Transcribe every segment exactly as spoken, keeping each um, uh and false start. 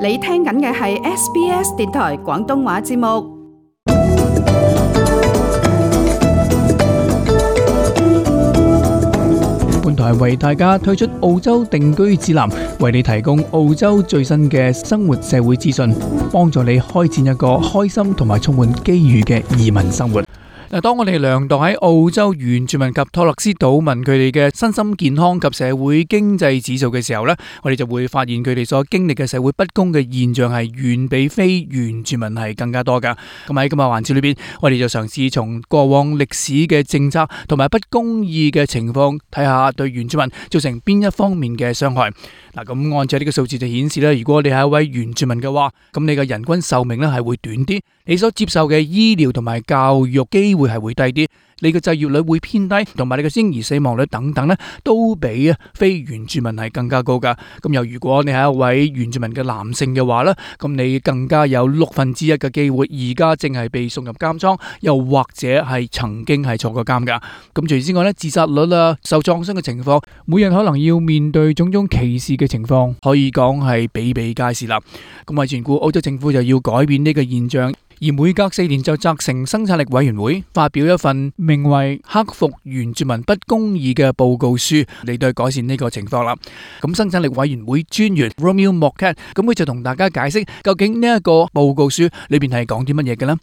你聽緊嘅係 S B S 電台廣東話節目。本台為大家推出澳洲定居指南，為你提供澳洲最新嘅生活社會資訊，幫助你開展一個開心同埋充滿機遇嘅移民生活。嗱，當我哋量度喺澳洲原住民及托勒斯島民佢哋嘅身心健康及社會經濟指數嘅時候呢，我哋就會發現佢哋所經歷嘅社會不公嘅現象係遠比非原住民係更加多噶。咁喺今日環節裏邊，我哋就嘗試從過往歷史嘅政策同埋不公義嘅情況，睇下對原住民造成邊一方面嘅傷害。嗱，咁按照呢個數字就顯示咧，如果你係一位原住民嘅話，咁你嘅人均壽命咧係會短啲，你所接受嘅醫療同埋教育機會係會低啲，你嘅就業率會偏低，同埋你嘅嬰兒死亡率等等咧，都比啊非原住民係更加高噶。咁又如果你係一位原住民嘅男性嘅話咧，咁你更加有六分之一嘅機會而家正係被送入監倉，又或者係曾經係坐過監噶。咁除此之外咧，自殺率啊、受創傷嘅情況，每日可能要面對種種歧視嘅情況，可以講係比比皆是啦。咁為全顧澳洲政府就要改變呢個現象。而每隔四年就責成生產力委員會發表一份名為《克服原住民不公義》嘅報告書嚟對改善呢個情況啦。咁生產力委員會專員 Romeo Morcat 咁佢就同大家解釋究竟呢一個報告書裏邊係講啲乜嘢嘅呢？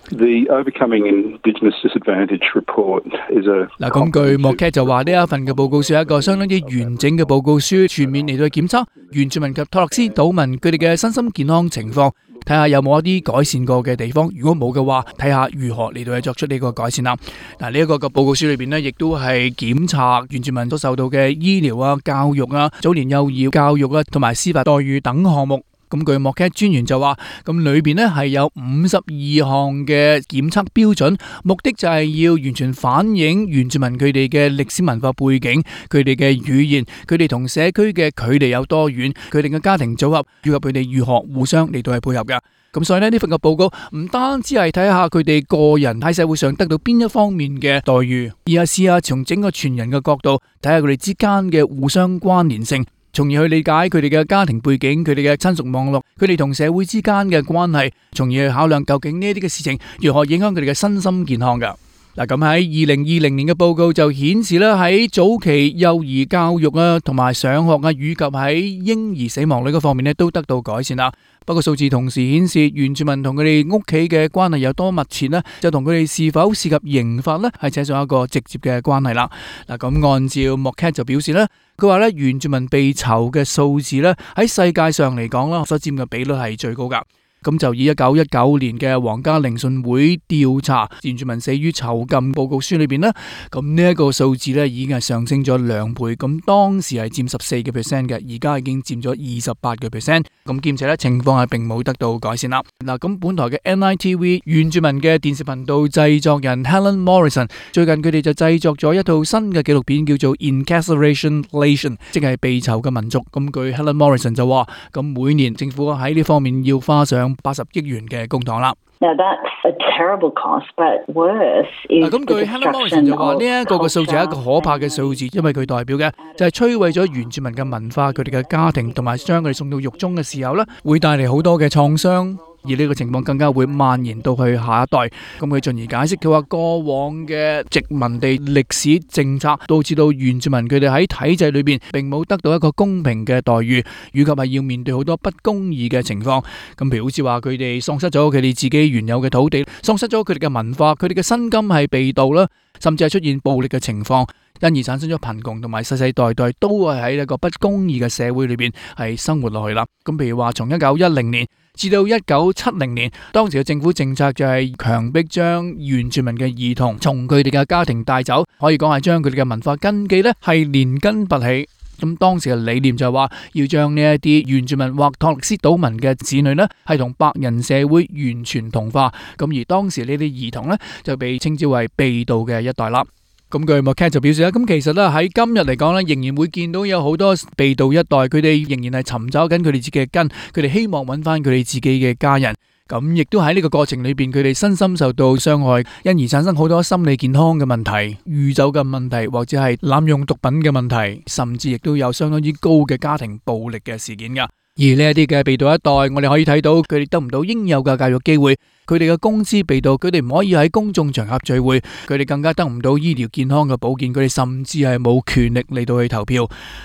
The Overcoming Indigenous Disadvantage Report is a 嗱，咁據 Morcat 就話呢一份嘅報告書係一個相當之完整嘅報告書，全面嚟到檢測原住民及托勒斯島民佢哋嘅身心健康情況，睇下有冇一啲改善過嘅地方，如果冇嘅話，睇下如何嚟到去作出呢個改善啦。嗱，呢一個嘅報告書裏邊呢，亦都係檢查原住民所受到嘅醫療啊、教育啊、早年幼兒教育啊，同埋司法待遇等項目。咁據莫卡專員就話，咁裏邊呢係有五十二項嘅檢測標準，目的就係要完全反映原住民佢哋嘅歷史文化背景、佢哋嘅語言、佢哋同社區嘅距離有多遠、佢哋嘅家庭組合，以及佢哋如何互相嚟到係配合噶。咁所以呢，呢份嘅報告唔單止係睇下佢哋個人喺社會上得到邊一方面嘅待遇，而係試下從整個全人嘅角度睇下佢哋之間嘅互相關聯性，從而去理解佢哋嘅家庭背景、佢哋嘅親屬網絡、佢哋同社會之間嘅關係，從而去考量究竟呢啲嘅事情如何影響佢哋嘅身心健康噶。嗱，咁喺二零二零年嘅報告就顯示咧，喺早期幼兒教育啊，同埋上學啊，以及喺嬰兒死亡率嗰方面咧，都得到改善啦。不過數字同時顯示，原住民同佢哋屋企嘅關係有多密切呢，就同佢哋是否涉及刑罰呢，係扯上一個直接嘅關係啦。嗱，咁按照 Morcat 就表示呢，佢話咧，原住民被囚嘅數字呢，喺世界上嚟講啦，所佔嘅比率係最高噶。咁就以一九一九年嘅皇家聆訊會調查原住民死於囚禁報告書裏邊呢，咁呢一個數字呢已經係上升咗兩倍，咁當時係佔十四個 percent 嘅，而家已經佔咗二十八個 percent，咁兼且呢情況係並冇得到改善啦。嗱，咁本台嘅 N I T V 原住民嘅電視頻道製作人 Helen Morrison 最近佢哋就製作咗一套新嘅紀錄片，叫做 Incarceration Nation， 即係被囚嘅民族。咁據 Helen Morrison 就話，咁每年政府喺呢方面要花上八十億元嘅公帑啦。Now that's a terrible cost, but worse is 咁據 Helen Morrison 就話呢一個嘅數字係一個可怕嘅數字，因為佢代表嘅就係摧毀咗原住民嘅文化、佢哋嘅家庭，同埋將佢哋送到獄中嘅時候呢，會帶嚟好多嘅創傷。而呢個情況更加會蔓延到去下一代。咁佢進而解釋，佢話過往嘅殖民地歷史政策導致到原住民佢哋喺體制裏邊並冇得到一個公平嘅待遇，以及係要面對好多不公義嘅情況。咁譬如好似話佢哋喪失咗佢哋自己原有嘅土地，喪失咗佢哋嘅文化，佢哋嘅薪金係被盜啦，甚至係出現暴力嘅情況，因而產生咗貧窮，同埋世世代代都係喺一個不公義嘅社會裏邊係生活落去啦。咁譬如話從一九一零年至到一九七零年，當時嘅政府政策就係強迫將原住民嘅兒童從佢哋嘅家庭帶走，可以講係將佢哋嘅文化根基呢係連根拔起。咁當時嘅理念就係話要將呢一啲原住民或托勒斯島民嘅子女呢係同白人社會完全同化。咁而當時呢啲兒童呢就被稱之為被盜嘅一代啦。咁據 Morcat 就表示啦，咁其實咧喺今日嚟講咧，仍然會見到有好多被盜一代，佢哋仍然係尋找緊佢哋自己嘅根，佢哋希望揾翻佢哋自己嘅家人。咁亦都喺呢個過程裏邊，佢哋身心受到傷害，因而產生好多心理健康嘅問題、酗酒嘅問題，或者係濫用毒品嘅問題，甚至亦都有相當之高嘅家庭暴力嘅事件噶。而呢一啲嘅被盜一代，我哋可以睇到佢哋得唔到應有嘅教育機會，佢哋嘅工資被盜，佢哋唔可以喺公眾場合聚會，佢哋更加得唔到醫療健康嘅保健，佢哋甚至係冇權力嚟到去投票。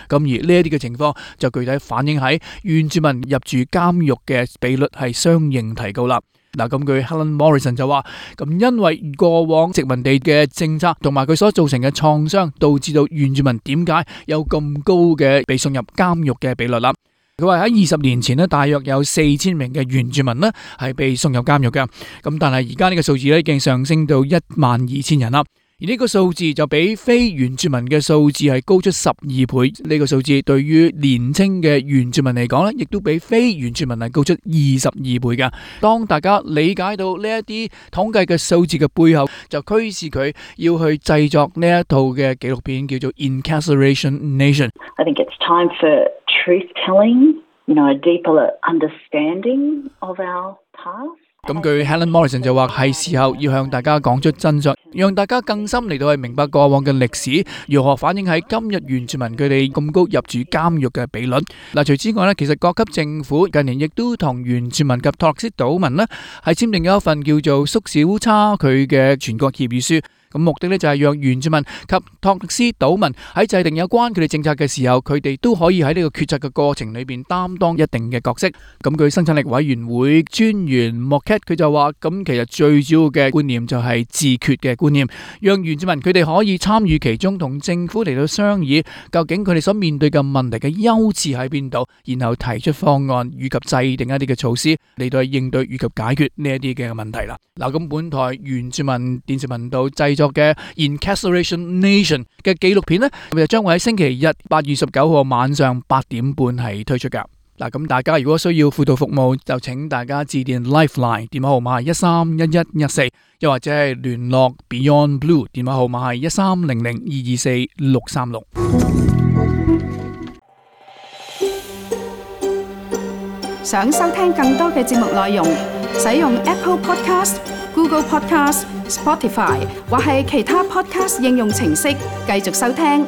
咁而呢一啲嘅情況就具體反映喺原住民入住監獄嘅比率係相應提高啦。嗱，咁佢 Helen Morrison 就話，咁因為過往殖民地嘅政策同埋佢所造成嘅創傷，導致到原住民點解有咁高嘅被送入監獄嘅比率啦。佢話喺二十年前呢，大約有四千名嘅原住民呢係被送入監獄嘅，咁但係而家呢個數字呢已經上升到一萬二千人啦。而呢個數字就比非原住民嘅數字係高出十二倍。呢個數字對於年輕嘅原住民嚟講呢，亦都比非原住民係高出二十二倍㗎。當大家理解到呢一啲統計嘅數字嘅背後，就驅使佢要去製作呢一套嘅紀錄片，叫做 Incarceration Nation。I think it's time for truth-telling, you know, a deeper understanding of our past. 咁據 Helen Morrison 就話係時候要向大家講出真相，讓大家更深嚟到去明白過往嘅歷史，如何反映喺今日原住民佢哋咁高入住監獄嘅比率。嗱，除此之外呢，其實各級政府近年亦都同原住民及托勒斯島民呢係簽訂咗一份叫做縮小差距嘅全國協議書。咁目的呢就係讓原住民及托勒斯島民喺制定有關佢哋政策嘅時候，佢哋都可以喺呢個決策嘅過程裏邊擔當一定嘅角色。咁據生產力委員會專員 Moket 佢就話，咁其實最主要嘅觀念就係自決嘅觀念，讓原住民佢哋可以參與其中，同政府嚟到商議究竟佢哋所面對嘅問題嘅優次喺邊度，然後提出方案以及制定一啲嘅措施嚟到去應對以及解決呢一啲嘅問題啦。嗱，咁本台原住民電視頻道製作嘅 Incarceration Nation 嘅紀錄片呢，就將會喺星期日八月十九號晚上八點半係推出噶。嗱，咁大家如果需要輔導服務，就請大家致電 Lifeline 電話號碼係一三一一一四，又或者係聯絡 Beyond Blue 電話號碼係一三零零二二四六三六。想收聽更多嘅節目內容，使用 Apple Podcast、Google Podcast、Spotify 或係其他 Podcast 應用程式繼續收聽。